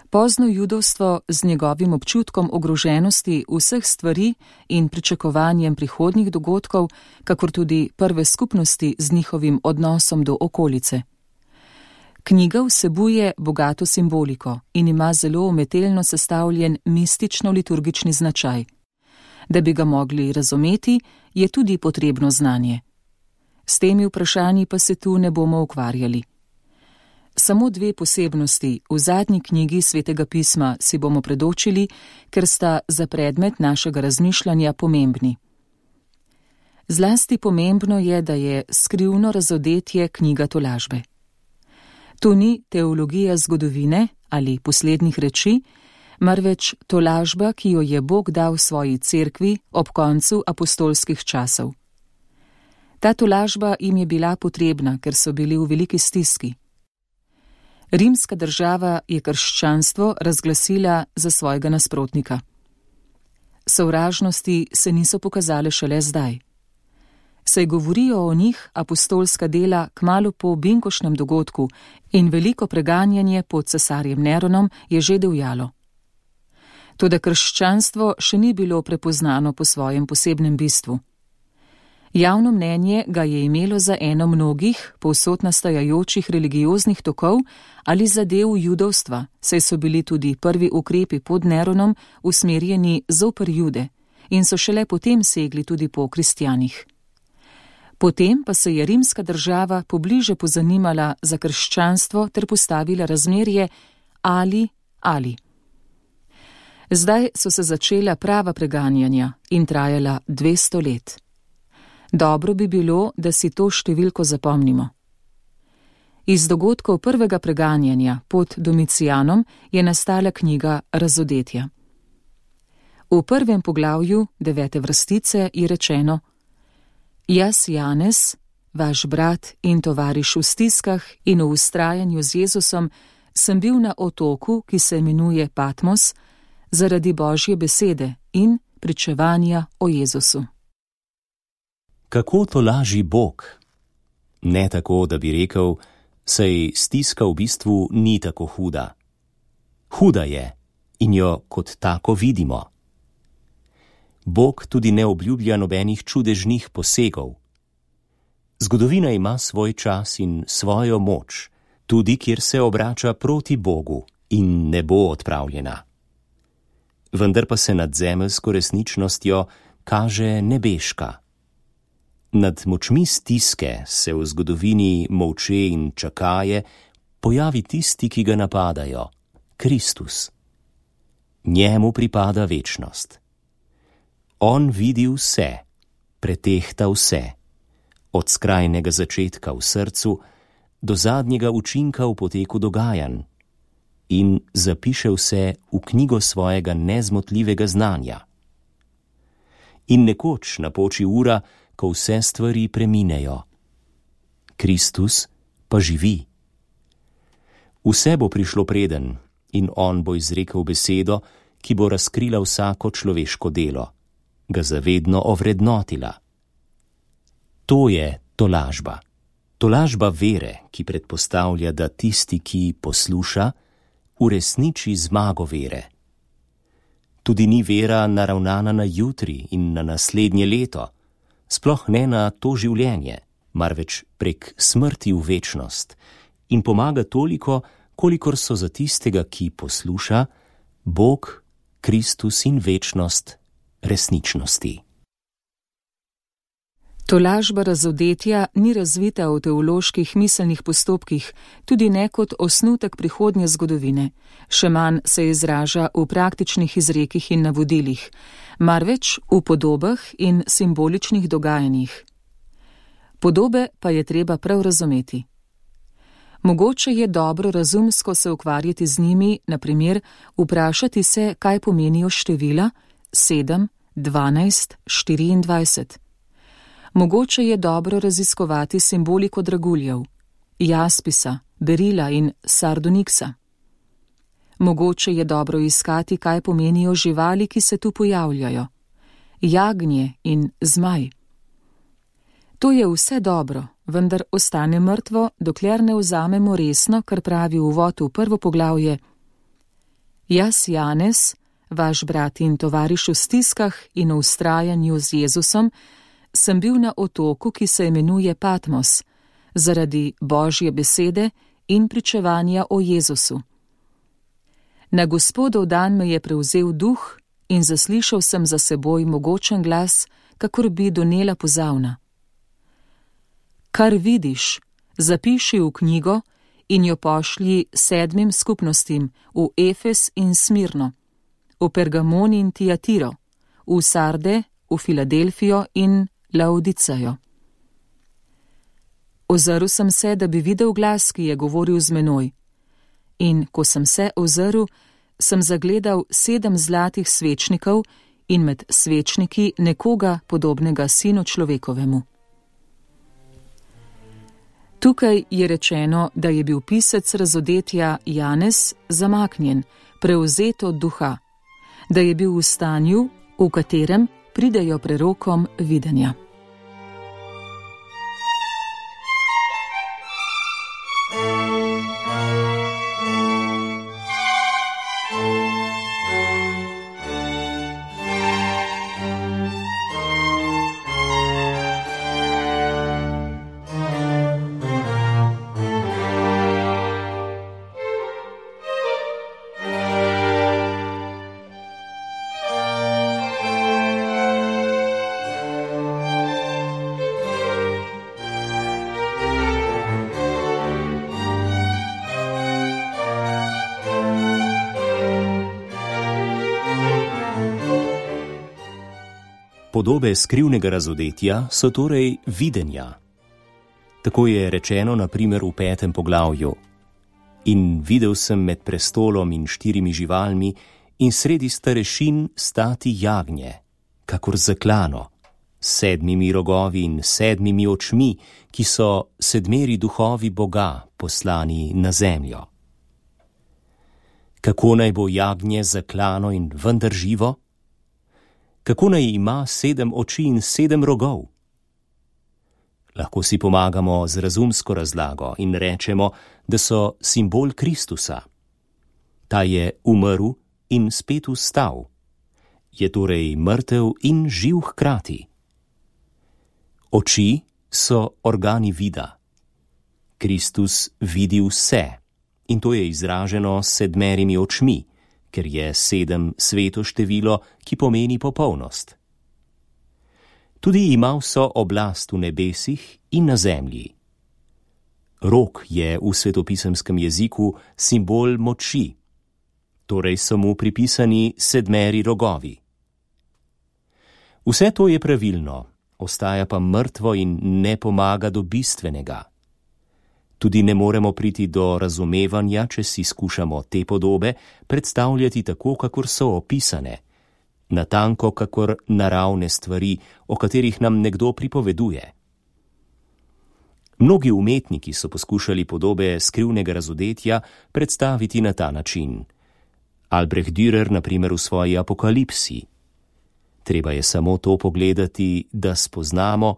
Pozno judovstvo z njegovim občutkom ogroženosti vseh stvari in pričakovanjem prihodnjih dogodkov, kakor tudi prve skupnosti z njihovim odnosom do okolice. Knjiga vsebuje bogato simboliko in ima zelo umetelno sestavljen mistično-liturgični značaj. Da bi ga mogli razumeti, je tudi potrebno znanje. S temi vprašanji pa se tu ne bomo ukvarjali. Samo 2 posebnosti v zadnji knjigi Svetega pisma si bomo predočili, ker sta za predmet našega razmišljanja pomembni. Zlasti pomembno je, da je Skrivno razodetje knjiga tolažbe. To ni teologija zgodovine ali poslednjih reči, marveč tolažba, ki jo je Bog dal svoji cerkvi ob koncu apostolskih časov. Ta tolažba jim je bila potrebna, ker so bili v veliki stiski. Rimska država je krščanstvo razglasila za svojega nasprotnika. Sovražnosti se niso pokazale šele zdaj. Saj govorijo o njih apostolska dela kmalu po binkošnem dogodku in veliko preganjanje pod cesarjem Neronom je že divjalo. Toda krščanstvo še ni bilo prepoznano po svojem posebnem bistvu. Javno mnenje ga je imelo za eno mnogih povsod nastajajočih religioznih tokov ali zadev judovstva, saj so bili tudi prvi ukrepi pod Neronom usmerjeni zoper Jude in so šele potem segli tudi po kristjanih. Potem pa se je rimska država pobliže pozanimala za krščanstvo ter postavila razmerje ali. Zdaj so se začela prava preganjanja in trajala 200 let. Dobro bi bilo, da si to številko zapomnimo. Iz dogodkov prvega preganjanja pod Domicijanom je nastala knjiga Razodetja. V 1. poglavju 9. vrstice je rečeno: Jaz, Janez, vaš brat in tovariš v stiskah in v vztrajanju z Jezusom, sem bil na otoku, ki se imenuje Patmos, zaradi Božje besede in pričevanja o Jezusu. Kako tolaži Bog? Ne tako, da bi rekel, saj stiska v bistvu ni tako huda. Huda je in jo kot tako vidimo. Bog tudi ne obljublja nobenih čudežnih posegov. Zgodovina ima svoj čas in svojo moč, tudi kjer se obrača proti Bogu in ne bo odpravljena. Vendar pa se nad zemeljsko resničnostjo kaže nebeška. Nad močmi stiske se v zgodovini molče in čakaje pojavi tisti, ki ga napadajo, Kristus. Njemu pripada večnost. On vidi vse, pretehta vse, od skrajnega začetka v srcu do zadnjega učinka v poteku dogajanj in zapiše vse v knjigo svojega nezmotljivega znanja. in nekoč napoči ura, ko vse stvari preminejo. Kristus pa živi. Vse bo prišlo preden in on bo izrekel besedo, ki bo razkrila vsako človeško delo, ga zavedno ovrednotila. To je tolažba. Tolažba vere, ki predpostavlja, da tisti, ki posluša, uresniči zmago vere. Tudi ni vera naravnana na jutri in na naslednje leto, sploh ne na to življenje, marveč prek smrti v večnost in pomaga toliko, kolikor so za tistega, ki posluša, Bog, Kristus in večnost resničnosti. Tolažba razodetja ni razvita v teoloških miselnih postopkih, tudi ne kot osnutek prihodnje zgodovine, še manj se izraža v praktičnih izrekih in navodilih, marveč v podobah in simboličnih dogajanjih. Podobe pa je treba prav razumeti. Mogoče je dobro razumsko se ukvarjati z njimi, na primer vprašati se, kaj pomenijo števila 7, 12, 24. Mogoče je dobro raziskovati simboliko draguljev, jaspisa, berila in sardoniksa. Mogoče je dobro iskati, kaj pomenijo živali, ki se tu pojavljajo, jagnje in zmaj. To je vse dobro, vendar ostane mrtvo, dokler ne vzamemo resno, kar pravi uvod v prvo poglavje. Jaz, Janez, vaš brat in tovariš v stiskah in v vztrajanju z Jezusom, sem bil na otoku, ki se imenuje Patmos, zaradi Božje besede in pričevanja o Jezusu. Na Gospodov dan me je prevzel duh in zaslišal sem za seboj mogočen glas, kakor bi donela pozavna. Kar vidiš, zapiši v knjigo in jo pošlji 7 skupnostim v Efes in Smirno, v Pergamon in Tiatiro, v Sarde, v Filadelfijo in Laodicejo. Ozrl sem se, da bi videl glas, ki je govoril z menoj. In ko sem se ozrl, sem zagledal 7 zlatih svečnikov in med svečniki nekoga podobnega sinu človekovemu. Tukaj je rečeno, da je bil pisec razodetja Janez zamaknjen, prevzet od duha, da je bil v stanju, v katerem pridejo prerokom videnja. Podobe skrivnega razodetja so torej videnja. Tako je rečeno na primer v 5. poglavju. In videl sem med prestolom in 4 živalmi in sredi starešin stati jagnje, kakor zaklano, s 7 rogovi in 7 očmi, ki so 7 duhovi Boga poslani na zemljo. Kako naj bo jagnje zaklano in vendar živo? Kako naj ima 7 oči in 7 rogov? Lahko si pomagamo z razumsko razlago in rečemo, da so simbol Kristusa. Ta je umrl in spet vstal. Je torej mrtev in živ hkrati. Oči so organi vida. Kristus vidi vse in to je izraženo s 7 očmi, ker je 7 sveto število, ki pomeni popolnost. Tudi ima vso oblast v nebesih in na zemlji. Rog je v svetopisemskem jeziku simbol moči, torej so mu pripisani 7 rogovi. Vse to je pravilno, ostaja pa mrtvo in ne pomaga do bistvenega. Tudi ne moremo priti do razumevanja, če si skušamo te podobe predstavljati tako, kakor so opisane, natanko kakor naravne stvari, o katerih nam nekdo pripoveduje. Mnogi umetniki so poskušali podobe skrivnega razodetja predstaviti na ta način. Albrecht Dürer, na primer, v svoji Apokalipsi. Treba je samo to pogledati, da spoznamo,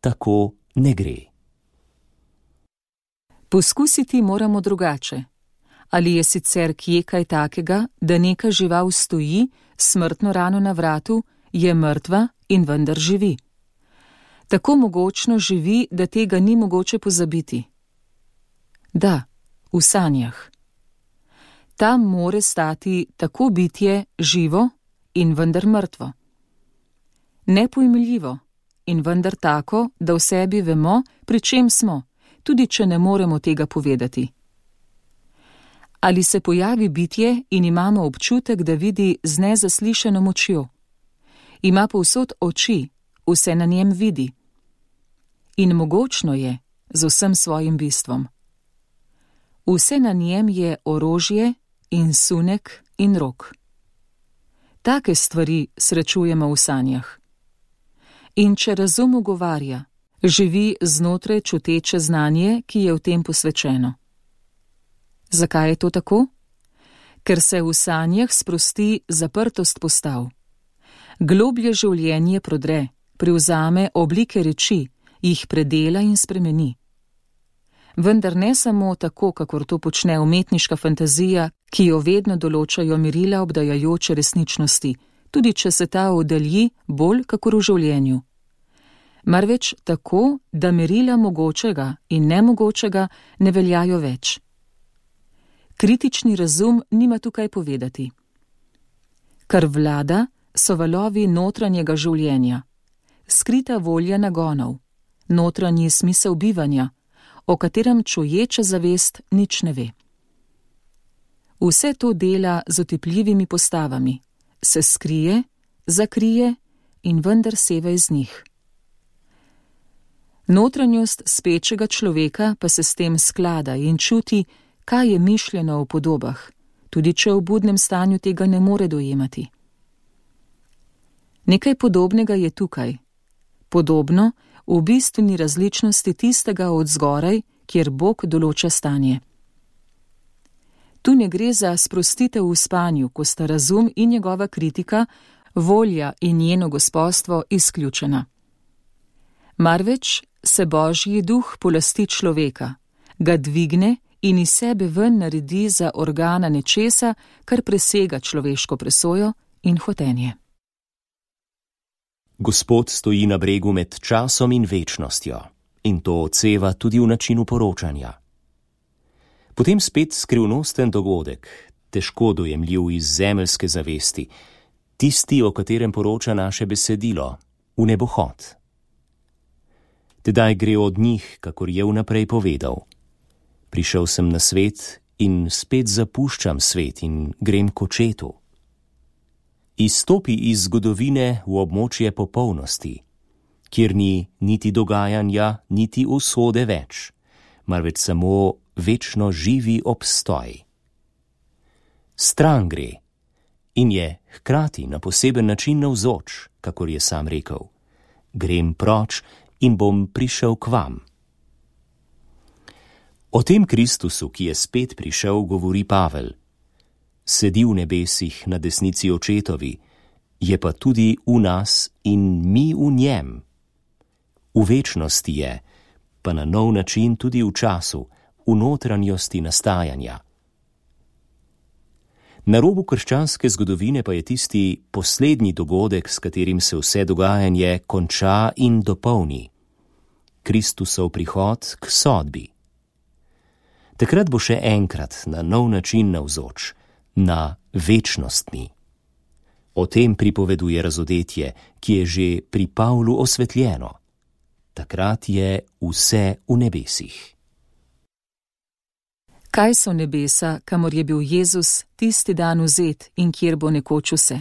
tako ne gre. Poskusiti moramo drugače. Ali je sicer kje kaj takega, da neka žival stoji, smrtno rano na vratu, je mrtva in vendar živi? Tako mogočno živi, da tega ni mogoče pozabiti. Da, v sanjah. Tam more stati tako bitje živo in vendar mrtvo. Nepojmljivo in vendar tako, da v sebi vemo, pri čem smo, tudi če ne moremo tega povedati. Ali se pojavi bitje in imamo občutek, da vidi z nezaslišano močjo. Ima povsod oči, vse na njem vidi. In mogočno je z vsem svojim bistvom. Vse na njem je orožje in sunek in rok. Take stvari srečujemo v sanjah. In če razum ugovarja, živi znotraj čuteče znanje, ki je v tem posvečeno. Zakaj je to tako? Ker se v sanjah sprosti zaprtost postav. Globlje življenje prodre, privzame oblike reči, jih predela in spremeni. Vendar ne samo tako, kakor to počne umetniška fantazija, ki jo vedno določajo merila obdajajoče resničnosti, tudi če se ta oddalji bolj kakor v življenju. Marveč tako, da merila mogočega in nemogočega ne veljajo več. Kritični razum nima tukaj povedati. Kar vlada, so valovi notranjega življenja, skrita volja nagonov, notranji smisel bivanja, o katerem čuječa zavest nič ne ve. Vse to dela z otipljivimi postavami, se skrije, zakrije in vendar seva iz njih. Notranjost spečega človeka pa se s tem sklada in čuti, kaj je mišljeno v podobah, tudi če v budnem stanju tega ne more dojemati. Nekaj podobnega je tukaj, podobno v bistveni različnosti tistega od zgoraj, kjer Bog določa stanje. Tu ne gre za sprostitev v spanju, ko sta razum in njegova kritika, volja in njeno gospodstvo izključena. Marveč se Božji duh polasti človeka, ga dvigne in iz sebe ven naredi za organa nečesa, kar presega človeško presojo in hotenje. Gospod stoji na bregu med časom in večnostjo, in to odseva tudi v načinu poročanja. Potem spet skrivnosten dogodek, težko dojemljiv iz zemeljske zavesti, tisti, o katerem poroča naše besedilo, v nebohod. Tedaj gre od njih, kakor je vnaprej povedal. Prišel sem na svet in spet zapuščam svet in grem k očetu. Izstopi iz zgodovine v območje popolnosti, kjer ni niti dogajanja, niti usode več, marveč samo večno živi obstoj. Stran gre in je hkrati na poseben način navzoč, kakor je sam rekel. Grem proč in bom prišel k vam. O tem Kristusu, ki je spet prišel, govori Pavel. Sedi v nebesih na desnici očetovi, je pa tudi v nas in mi v njem. V večnosti je, pa na nov način tudi v času, v notranjosti nastajanja. Na robu krščanske zgodovine pa je tisti poslednji dogodek, s katerim se vse dogajanje konča in dopolni. Kristusov prihod k sodbi. Takrat bo še enkrat na nov način navzoč, na večnostni. O tem pripoveduje razodetje, ki je že pri Pavlu osvetljeno. Takrat je vse v nebesih. Kaj so nebesa, kamor je bil Jezus tisti dan vzet in kjer bo nekoč vse?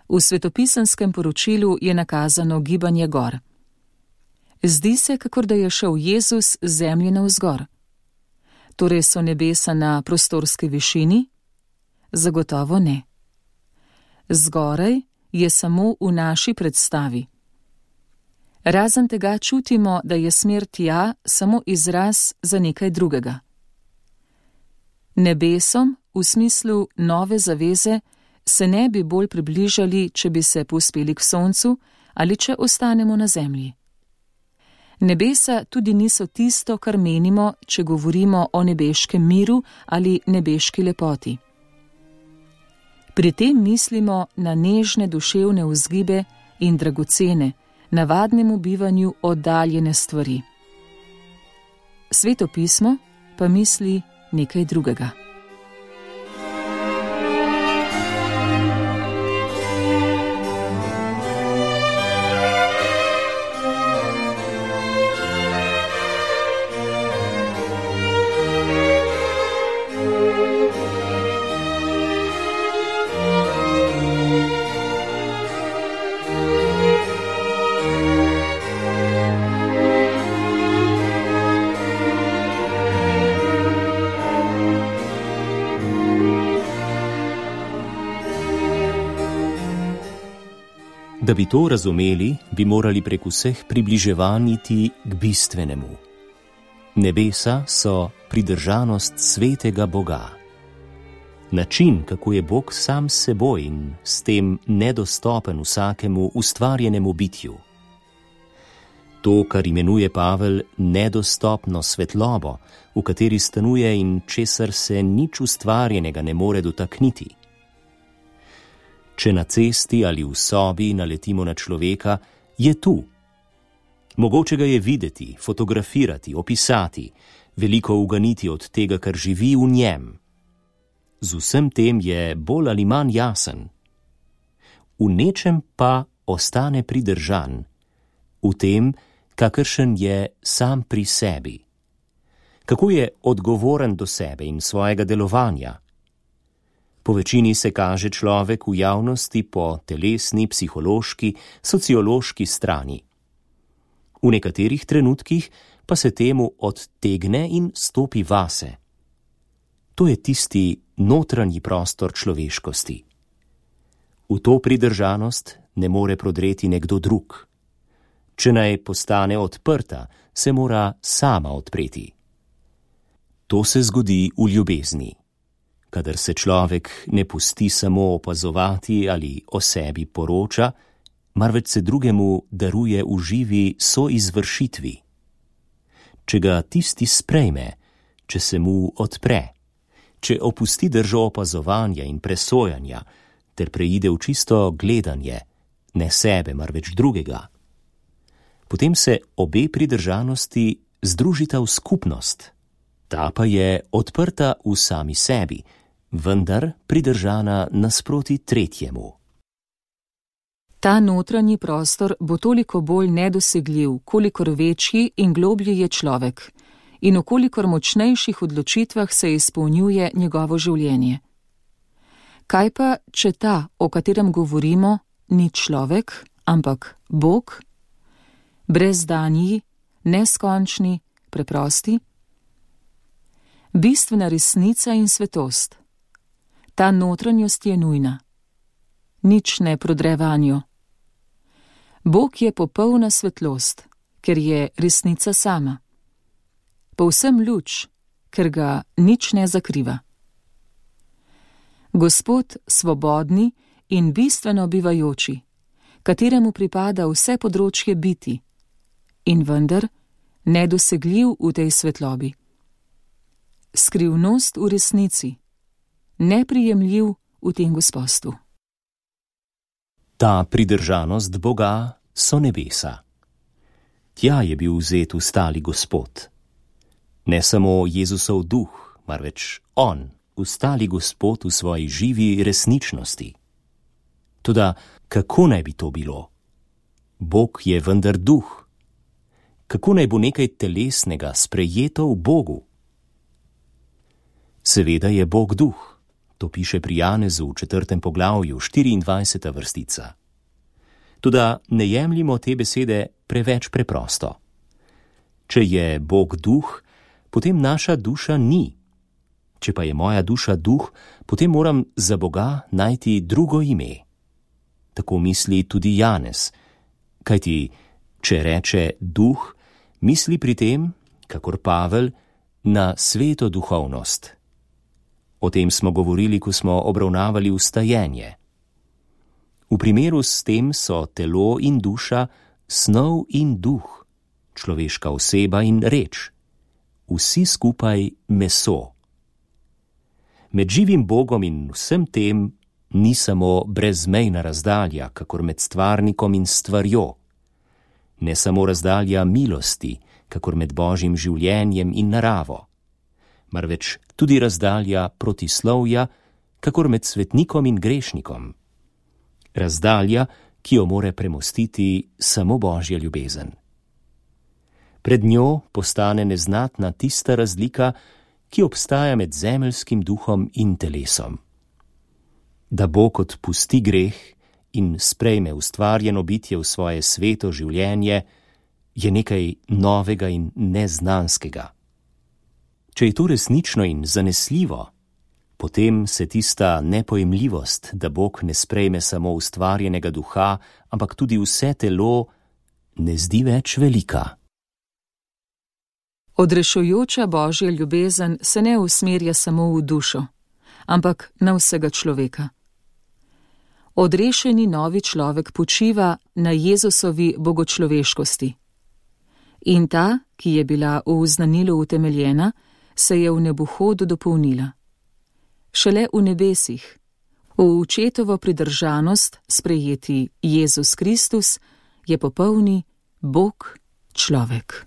V svetopisenskem poročilu je nakazano gibanje gor. Zdi se, kakor da je šel Jezus z zemlje navzgor. Torej so nebesa na prostorski višini? Zagotovo ne. Zgoraj je samo v naši predstavi. Razen tega čutimo, da je smer tja samo izraz za nekaj drugega. Nebesom, v smislu nove zaveze, se ne bi bolj približali, če bi se povzpeli k soncu ali če ostanemo na zemlji. Nebesa tudi niso tisto, kar menimo, če govorimo o nebeškem miru ali nebeški lepoti. Pri tem mislimo na nežne duševne vzgibe in dragocene, navadnemu bivanju oddaljene stvari. Sveto pismo pa misli nekaj drugega. Da bi to razumeli, bi morali prek vseh približevanj iti k bistvenemu. Nebesa so pridržanost svetega Boga. Način, kako je Bog sam s seboj in s tem nedostopen vsakemu ustvarjenemu bitju. To, kar imenuje Pavel nedostopno svetlobo, v kateri stanuje in česar se nič ustvarjenega ne more dotakniti. Če na cesti ali v sobi naletimo na človeka, je tu. Mogoče ga je videti, fotografirati, opisati, veliko uganiti od tega, kar živi v njem. Z vsem tem je bolj ali manj jasen. V nečem pa ostane pridržan, v tem, kakršen je sam pri sebi. Kako je odgovoren do sebe in svojega delovanja. Po večini se kaže človek v javnosti po telesni, psihološki, sociološki strani. V nekaterih trenutkih pa se temu odtegne in stopi vase. To je tisti notranji prostor človeškosti. V to pridržanost ne more prodreti nekdo drug. Če naj postane odprta, se mora sama odpreti. To se zgodi v ljubezni. Kadar se človek ne pusti samo opazovati ali o sebi poroča, marveč se drugemu daruje v živi soizvršitvi. Če ga tisti sprejme, če se mu odpre, če opusti držo opazovanja in presojanja, ter preide v čisto gledanje, ne sebe, marveč drugega, potem se obe pridržanosti združita v skupnost. Ta pa je odprta v sami sebi, vendar pridržana nasproti tretjemu. Ta notranji prostor bo toliko bolj nedosegljiv, kolikor večji in globlji je človek in v kolikor močnejših odločitvah se izpolnjuje njegovo življenje. Kaj pa, če ta, o katerem govorimo, ni človek, ampak Bog? Brezdanji, neskončni, preprosti? Bistvena resnica in svetost. Ta notranjost je nujna. Nič ne prodre vanjo. Bog je popolna svetlost, ker je resnica sama. Povsem luč, ker ga nič ne zakriva. Gospod svobodni in bistveno bivajoči, kateremu pripada vse področje biti, in vendar nedosegljiv v tej svetlobi. Skrivnost v resnici, neprijemljiv v tem gospostvu. Ta pridržanost Boga so nebesa. Tja je bil vzet ustali Gospod. Ne samo Jezusov duh, marveč on, ustali Gospod v svoji živi resničnosti. Toda kako naj bi to bilo? Bog je vendar duh. Kako naj bo nekaj telesnega sprejeto v Bogu? Seveda je Bog duh. To piše pri Janezu v 4. poglavju, 24. vrstica. Toda ne jemljimo te besede preveč preprosto. Če je Bog duh, potem naša duša ni. Če pa je moja duša duh, potem moram za Boga najti drugo ime, tako misli tudi Janez. Kajti, če reče duh, misli pri tem, kakor Pavel, na sveto duhovnost. O tem smo govorili, ko smo obravnavali vstajenje. V primeru s tem so telo in duša, snov in duh, človeška oseba in reč, vsi skupaj meso. Med živim Bogom in vsem tem ni samo brezmejna razdalja, kakor med stvarnikom in stvarjo, ne samo razdalja milosti, kakor med Božjim življenjem in naravo, marveč tudi razdalja protislovja, kakor med svetnikom in grešnikom. Razdalja, ki jo more premostiti samo Božja ljubezen. Pred njo postane neznatna tista razlika, ki obstaja med zemeljskim duhom in telesom. Da Bog odpusti greh in sprejme ustvarjeno bitje v svoje sveto življenje, je nekaj novega in neznanskega. Če je to resnično in zanesljivo, potem se tista nepojemljivost, da Bog ne sprejme samo ustvarjenega duha, ampak tudi vse telo, ne zdi več velika. Odrešujoča Božja ljubezen se ne usmerja samo v dušo, ampak na vsega človeka. Odrešeni novi človek počiva na Jezusovi bogočloveškosti. In ta, ki je bila v znanilu utemeljena, se je v nebuhodu dopolnila. Šele v nebesih, v očetovo pridržanost sprejeti Jezus Kristus, je popolni Bog človek.